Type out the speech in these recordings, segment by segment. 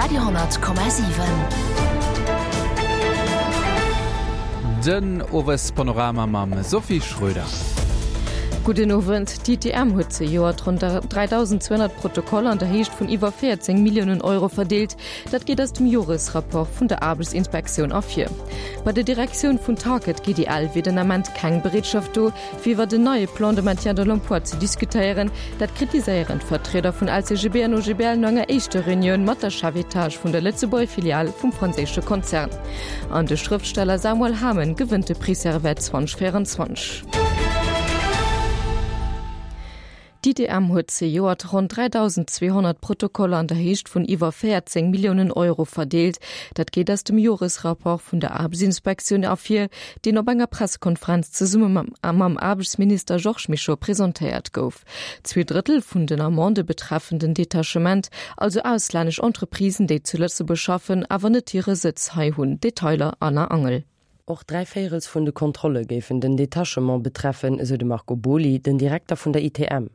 Radio,7. Den Owespanorama mam Sophie Schröder. Gudden Owend. D'ITM huet zejoert ronn 3.200 Protokoller an der Héicht vun iwwer 14 Milliounen Euro verdeelt. Dat geet aus dem Joresrapport vun der Aarbechtsinspektioun ervir. Bei der Direktioun vun Target GDL wier den Ament keng Bereetschaft do, fir iwwert en neie Plan de maintien de l'emploi ze diskutéieren. Dat kritiséieren d'Vertrieder vun LCGB an OGBL no enger éischter Reunioun mat der Chefetage vun der Lëtzebuerger Filial vum franséische Konzern. An de Schrëftsteller Samuel Hamen gewënnt de Prix Servais 2024. D'ITM huet zejoert ronn 3.200 Protokoller an der Héicht vun iwwer 14 Milliounen Euro verdeelt. Dat geet aus dem Joresrapport vun der Aarbechtsinspektioun ervir, deen op enger Pressekonferenz zesumme mam Aarbechtsminister Georges Mischo presentéiert gouf. Zweedrëttel vun den Amendë betreffen den Detachement, also auslännesch Entreprisen, déi zu Lëtzebuerg schaffen, awer net hire Sëtz hei hunn. Detailer Anna Angel. Och dräivéierels vun de Kontrolle géifen den Detachement betreffen, esou de Marco Boly, den Direkter vun der ITM.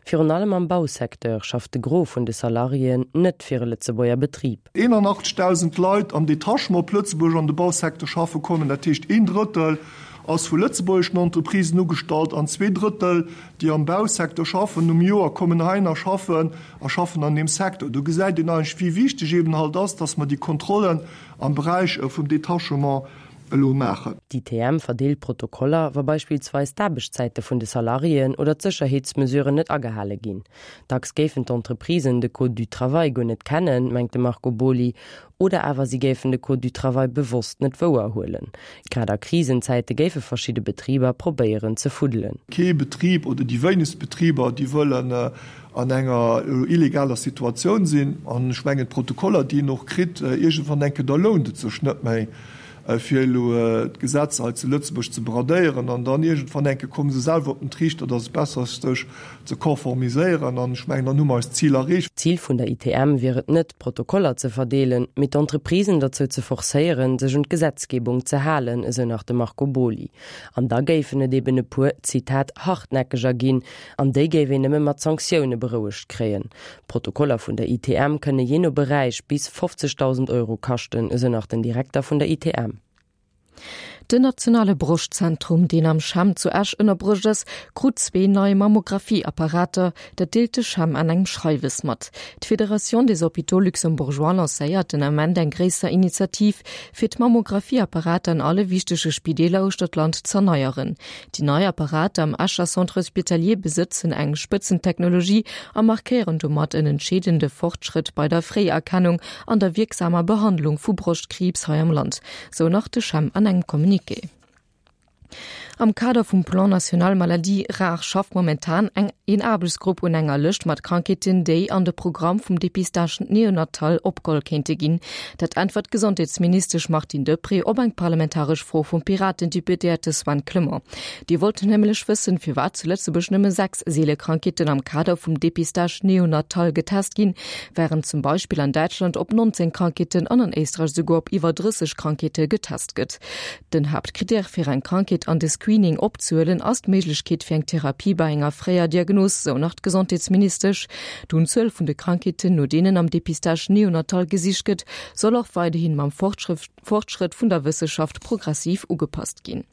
Virun allem am Bausecteur schafft de Gros vun de Salariéen net fir e Lëtzebuerger Betrib. 81.000 Leit am Detachement op Lëtzebuerg an de Bausecteur schaffe kommen, dat heescht een Drëttel ass vu lëtzebuergeschen Entreprisen ugestallt an zweeDrëttel, déi am Bausecteur schaffen, um Joer kommen heihin a schaffen a schaffen an deem Secteur. Do gesäit een eigentlech, wéi wichteg eben halt ass, dass mer déi Kontrollen am Beräich vum Detachement elo maachen. D'ITM verdeelt Protokoller, wa beispillsweis d'Aarbechtszäite vun de Salariéen oder d'Sécherheetsmesuren net agehale ginn. Dacks géifen d'Entreprisen de Code du travail guer net kennen, mengt de Marco Boly, oder awer si géifen de Code du travail bewosst net wouerhuelen. Grad a Krisenzäite géife verschidde Betriber probéieren ze fuddelen. Kee Betrib oder déi wéinegst Betriber, déi wëllen an enger illegaler Situatioun sinn. An ech mengen, d'Protokoller, déi een och kritt, iergendwann enke, da lount et sech net méi, fir elo d'Gesetzer hei zu Lëtzebuerg ze bradéieren. An dann iergendwann enke komme se selwer op den Triichter, dass et besser ass, sech ze konformiséieren. An ech mengen, dann hu mer eist Zil erreecht. D'Zil vun der ITM wier et net, Protokoller ze verdeelen, mee d'Entreprisen derzou ze forcéieren, sech un d'Gesetzgebung ze halen, esou nach de Marco Boly. An da géifen et eben e puer, Zitat, Hartnäckeger ginn, An déi géif een nëmme mat Sanktioune berouegt kréien. D'Protokoller vun der ITM kënne jee no Beräich bis 50.000 Euro kaschten, esou nach den Direkter vun der ITM. Den nationale Broschtzentrum, deen am CHEM zu Esch ënnerbruecht ass, krut zwee nei Mammographie-Apparater. Dat deelt de CHEM an engem Schreiwes mat. D'Fédération des Hôpitaux Luxembourgeois lancéiert den Ament eng gréisser Initiativ, fir d'Mammographie-Apparater an alle wichtege Spideeler uechter d'Land z'erneieren. Déi nei Apparater am Escher Centre Hospitalier besëtzen eng Spëtzentechnologie a markéieren domat en entscheedende Fortschrëtt bei der Fréierkennung an der wierksamer Behandlung vu Broschtkriibs hei am Land, sou nach de CHEM an engem Communiqué. Am Kader vum Plan national maladies rares schafft momentan eng een Aarbechtsgrupp un enger Lëscht mat Krankheeten, déi an de Programm vum Dépistage néonatal opgeholl kéinte ginn. Dat äntwert d'Gesondheetsministesch Martine Deprez op eng parlamentaresch Fro vum Piraten-Deputéierte Sven Clement. Dee wollt nämlech wëssen, firwat zu Lëtzebuerg nëmme 6 seele Krankheeten am Kader vum Dépistage néonatal getest ginn, wärend zum Beispill an Däitschland op 19 Krankheeten an an Éisträich esouguer op iwwer 30 Krankheete getest gëtt. Den Haaptkrittär fir eng Krankheet an de Screening opzehuelen ass d'Méiglechkeet fir eng Therapie bei enger fréier Diagnos, sou nach d'Gesondheetsministesch. D'Unzuel vun de Krankheeten, no deenen am Dépistage néonatal gesicht gëtt, soll och weiderhin mam Fortschrëtt vun der Wësseschaft progressiv ugepasst ginn.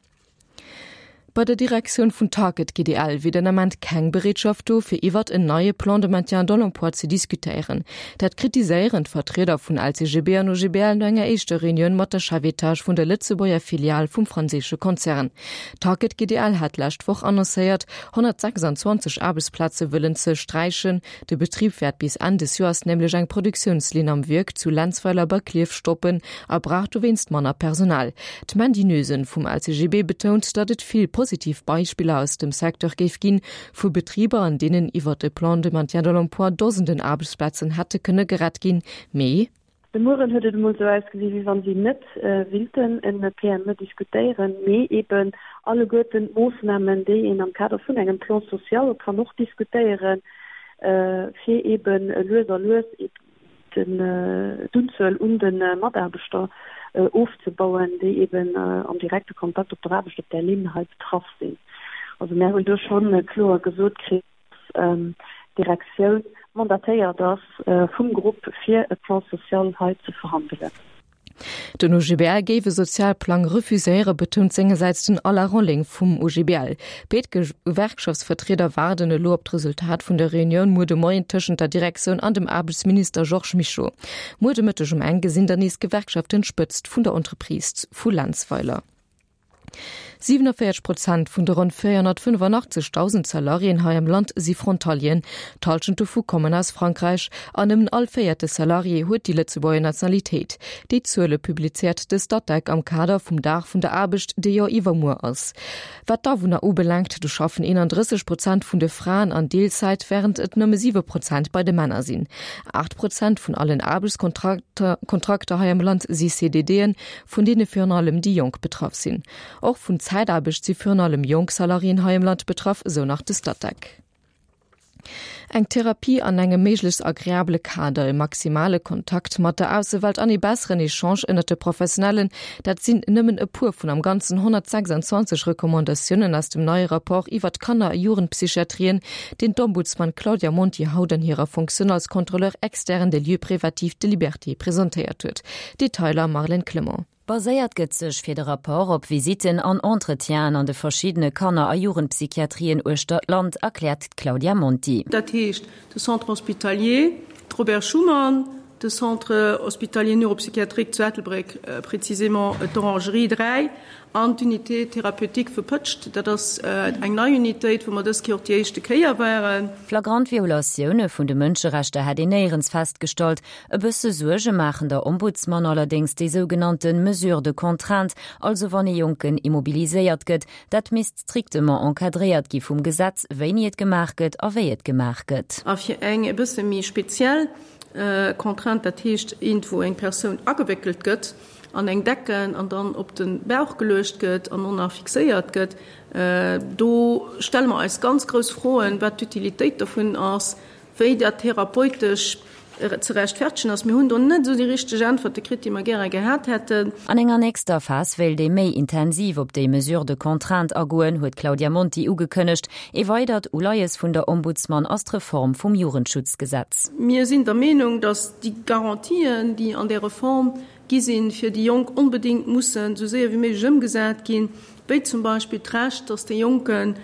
Bei der Direktioun vun Target GDL wier den Ament keng Bereetschaft do, fir iwwert en neie Plan de maintien dans l'emploi ze diskutéieren. Dat kritiséieren d'Vertrieder vun LCGB an OGBL no enger éischter Reunioun mat der Chefetage vun der Lëtzebuerger Filial vum franséische Konzern. Target GDL hat d'lescht Woch annoncéiert, 126 Aarbechtsplaze wëllen ze sträichen. De Betrib wäert bis Enn des Joers nämlech eng Produktiounslinn am Wierk zu Lenzweiler bei Klierf stoppen a brauch dowéinst manner Personal. D'Mandy Noesen vum LCGB betount, datt et vill positiv Beispiller aus dem Secteur géif ginn, vu Betriber, an deenen iwwert e Plan de maintien de l'emploi Dosenden Aarbechtsplazen hätte kënne gerett ginn, mee. De Mueren huet et emol esou ausgesi wéi wann si net willten en PME diskutéieren, mee eben alleguerten d'Moossnamen, déi een am Kader vun engem Plan social kann och diskutéieren, fir eben lues a lues d'Unzuel un de Mataarbechter ofzebauen, déi eben am direkte Kontakt op der Aarbecht op där Linn hei betraff sinn. Also mär hunn do scho kloer gesot kritt, dass d'Direktioun. mandatéiert ass vum Grupp fir e Plan social hei ze verhandelen. Den OGBL géif e Sozialplang refuséieren, betount sengersäits den Alain Rolling vum OGBL. Béid Gewerkschaftsvertrieder waarden elo op d'Resultat vun der Reunioun muer de Moien tëschent der Direktioun an dem Aarbechtsminister Georges Mischo. Muer de Mëtteg um eng gesinn dann nees d'Gewerkschaften d'Spëtzt vun der Entreprise vu Lenzweiler. 47 Prozent vun de ronn 485.000 Salariéen hei am Land si Frontalieren. D'Hallschent dovu kommen aus Frankräich. An nëmmen all véierte Salarié huet déi Lëtzebuerger Nationalitéit. Déi Zuele publizéiert de Statec am Kader vum Dag vun der Aarbecht, dee jo iwwermuer ass. Wat d'Awunner ubelaangt, do schaffen 31 Prozent vun de Fraen an Deelzäit, wärend et nëmme 7 Prozent bei de Männer sinn. 8 Prozent vun allen Aarbechtskontrakter hei am Land si CDDen, vun deene virun allem déi Jonk betraff sinn. Och vun Zäitaarbecht si virun allem jonk Salariéen hei am Land betraff, esou nach de Statec. Eng Therapie an engem méiglechst agreabele Kader, e maximale Kontakt mat der Aussewelt an ee besseren Echange ënnert de Professionellen, dat sinn nëmmen e puer vun am Ganzen 126 Recommandatiounen aus dem neie Rapport iwwer d'Kanner a Jugendpsychiatrien, deen d'Ombudsman Claudia Monti haut an hirer Fonctioun als Contrôleur externe des lieux privatifs de liberté presentéiert huet. Detailer Marlène Clement. Baséiert gëtt sech fir de Rapport op Visitten an Entretienen an de verschiddene Kanner a Jugendpsychiatrien uechter d'Land, erkläert d'Claudia Monti. Dat heescht de Centre hospitalier, d'Robert Schuman, de Centre hospitalier neuropsychiatrique zu Ettelbréck, précisément d'Orangerie 3, An d'Unité thérapeutique vu Pëtscht, dat ass eng nei Unitéit, wou mer dës Kéier och déi éischte Kéier waren. Flagrant Violatioune vun de Mënscherechter hätt een néierens festgestallt. E bësse Suerge maachen der Ombudsman allerdéngs déi sougenannte Mesures de contrainte, also wann ee Jonken immobiliséiert gëtt. Dat misst strictement encadréiert gi vum Gesetz, wéini et gemaach gëtt a wéi et gemaach gëtt. A fir eng e bësse méi speziell Contrainte, dat heescht eent, wou eng Persoun agewéckelt gëtt, an eng Decken an dann op de Bauch geluecht gëtt an och nach fixéiert gëtt, do stelle mer eis ganz grouss Froen, wat d'Utilitéit dovun ass, wéi dat therapeutesch ze rechtfertegen ass. Mir hunn do net esou déi richteg Äntwerte kritt, déi mer gäre gehat hätten. An enger nächster Phas wéilt ee méi intensiv op déi Mesures de contrainte agoen, huet d'Claudia Monti ugekënnegt. Ee weidert Uleies vun der Ombudsman ass d'Reform vum Jugendschutzgesetz. Mir sinn der Meenung, datt déi Garantien, déi an där Reform gi sinn, fir déi Jonk onbedéngt mussen esou séier wéi méiglech ëmgesat ginn, wéi zum Beispill d'Recht, datt de Jonke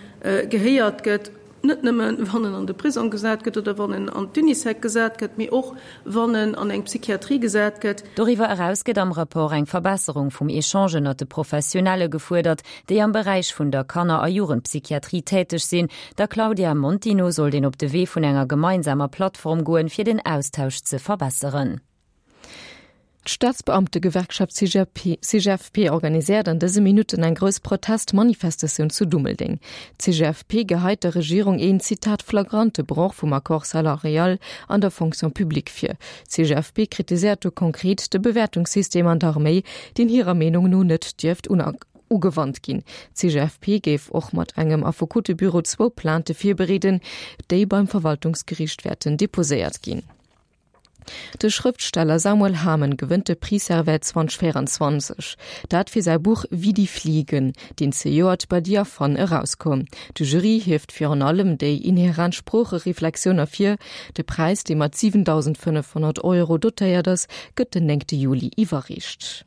gehéiert gëtt, net nëmmen, wann en an de Prisong gesat gëtt oder wann en an d'Unisec gesat gëtt, mee och wann en an eng Psychiatrie gesat gëtt. Doriwwer eraus gëtt am Rapport eng Verbesserung vum Echange ënnert de Professionelle gefuerdert, déi am Beräich vun der Kanner a Jugendpsychiatrie täteg sinn. Der Claudia Monti no sollt een op de Wee vun enger gemeinsamer Plattform goen, fir den Austausch ze verbesseren. D'Staatsbeamtegewerkschaft CGFP organiséiert an dëse Minutten eng grouss Protest-Manifestatioun zu Dummeldeng. D'CGFP geheit der Regierung een, Zitat, flagrante Broch vum Accord salarial an der Fonction publique vir. D'CGFP kritiséiert do konkret de Bewäertungssystem an der Arméi, deen hirer Meenung no net dierft ugewannt ginn. D'CGFP géif och mat engem Affekotebüro zwou Plainte virbereeden, déi beim Verwaltungsgeriicht wäerten deposéiert ginn. De Schrëftsteller Samuel Hamen gewënnt de Prix Servais 2024. Dat fir säi Buch Wie die Fliegen, deen zejoert bei Diaphane erauskoum. De Jury hieft virun allem déi inhärent Sproochereflexioun ervir. De Präis, dee mat 7.500 Euro dotéiert ass, gëtt den néngte Juli iwwerreecht.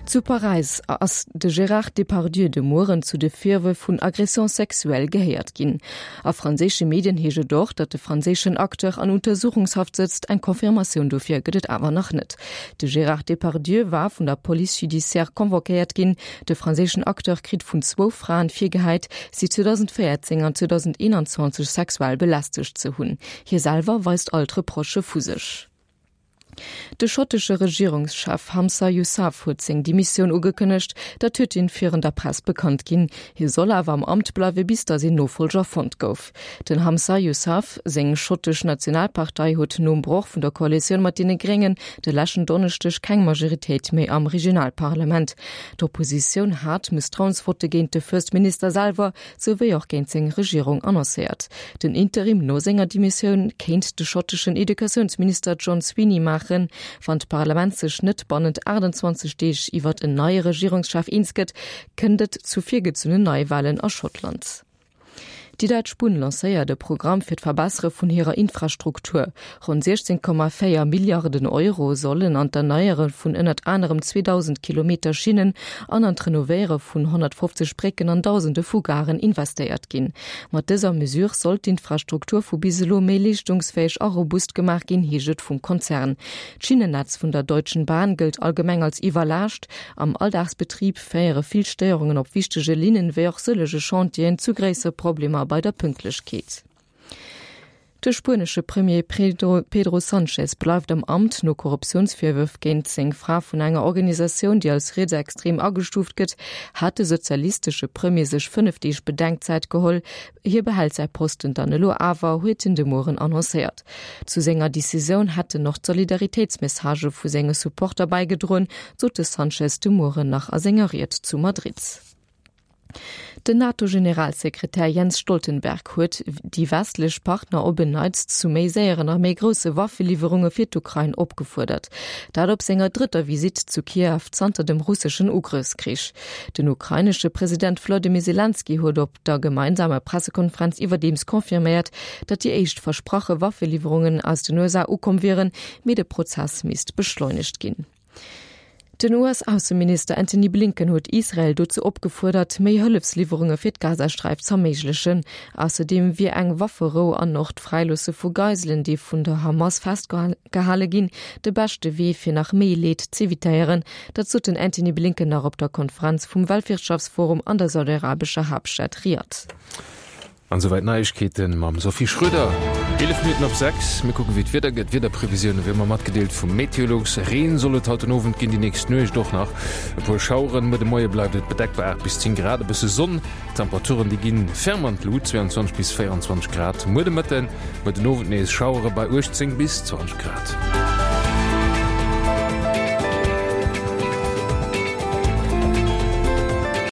Zu Paräis ass de Gérard Depardieu de Mueren zu de Virwërf vun Agression sexuelle gehéiert ginn. A franséische Medien heescht et och, datt de franséischen Acteur an Untersuchungshaft sëtzt, eng Confirmatioun dofir gëtt et awer nach net. De Gérard Depardieu war vun der Police judiciaire convoquéiert ginn. De franséischen Acteur kritt vun zwou Fraen virgehäit, si 2014 an 2021 sexuell belästegt ze hunn. Hie selwer weist all d'Reprochë vu sech. De schottesche Regierungschef Hamza Yousaf huet seng Demissioun ugekënnegt. Dat huet hien virun der Press bekannt ginn. Hie soll awer am Amt bleiwe bis datt een Nofollger fonnt gouf. Den Hamza Yousaf seng schottesch Nationalpartei huet nom Broch vun der Koalitioun mat deene Gréngen de leschten Donneschdeg keng Majoritéit méi am Regionalparlament. D'Oppositioun hat Mësstrauensvotte géint de First Minister selwer souwéi och géint seng Regierung annoncéiert. Den Interim no senger Demissioun kéint de schotteschen Educatiounsminister John Swinney maachen. Wann d'Parlament sech net bannent 28 Deeg iwwert en neie Regierungschef eens gëtt, kënnt et zu virgezunnen Neiwalen a Schottland. Déi däitsch Bunn lancéiert e Programm fir d'Verbessere vun hirer Infrastruktur. Ronn 16,4 Milliarden Euro sollen an d'Erneiere vun ënnert anerem 2.000 Kilometer Schinnen an an d'Renovéiere vun 150 Brécken an Dausende vu Garen investéiert ginn. Mat dëser Mesure soll d'Infrastruktur vu bis elo méi leeschtungsfäeg a robust gemaach ginn, heescht et vum Konzern. D'Schinnennetz vun der Deutschen Bahn gëllt allgemeng als iwwerlaascht. Am Alldagsbetrib féiere vill Stéierungen op wichtege Linnen, wéi och sëllege Chantieren zu gréissere Problemer bei der Pünktlechkeet. De spuenesche Premier Pedro Sanchez bleift am Amt. No Korruptiounsvirwërf géint seng Fra vun enger Organisatioun, déi als rietsextrem agestuuft gëtt, hat de sozialistesche Premier sech 5 Deeg Bedenkzäit geholl. Hie behält säi Posten dann elo awer, huet hien de Mueren annoncéiert. Zu senger Decisioun hätten och d'Solidaritéitsmessagë vu senge Supporter bäigedroen, sot de Sanchez de Mueren nach a senger Ried zu Madrid. Den NATO-Generalsekretär Jens Stoltenberg huet déi westlech Partner op en Neits zu méi séieren a méi grousse Waffeliwwerunge fir d'Ukrain opgefuerdert. Dat op senger drëtter Visitt zu Kiew zanter dem russeschen Ugrëffskrich. Den ukrainesche President Wlodymyr Selenskyj huet op der gemeinsamer Pressekonferenz iwwerdeems confirméiert, datt déi éischt versprache Waffeliwwerungen aus den USA ukomm wieren, mee de Prozess misst beschleunegt ginn. Den US-Ausseminister Antony Blinken huet Israel dozou opgefuerdert, méi Hëllefsliwwerunge fir d'Gazasträif z'erméiglechen. Ausserdeem wier eng Wafferou an och d'Fräiloosse vu Geiselen, déi vun der Hamas festgehale ginn, de beschte Wee fir nach méi Leed z'evitéieren. Dat sot den Antony Blinken nach op der Konferenz vum Weltwirtschaftsforum an der saudiarabescher Haaptstad Riad. An esouwäit d'Neiegkeeten mam Sophie Schröder. 11 Minutten op 6, mir kucken wéi d'Wieder gëtt. D'Wiederprevisioune wéi ëmmer matgedeelt vum Meteolux. Reen soll et haut den Owend ginn, déi nächst Nuecht och nach e puer Schaueren. Muer de Moie bleift et bedeckt bei 8 bis 10 Grad, e bësse Sonn. D'Temperaturen déi ginn ferm an d'Lut, 22 bis 24 Grad muer de Mëtten, muer den Owend nees Schauere bei 18 bis 20 Grad.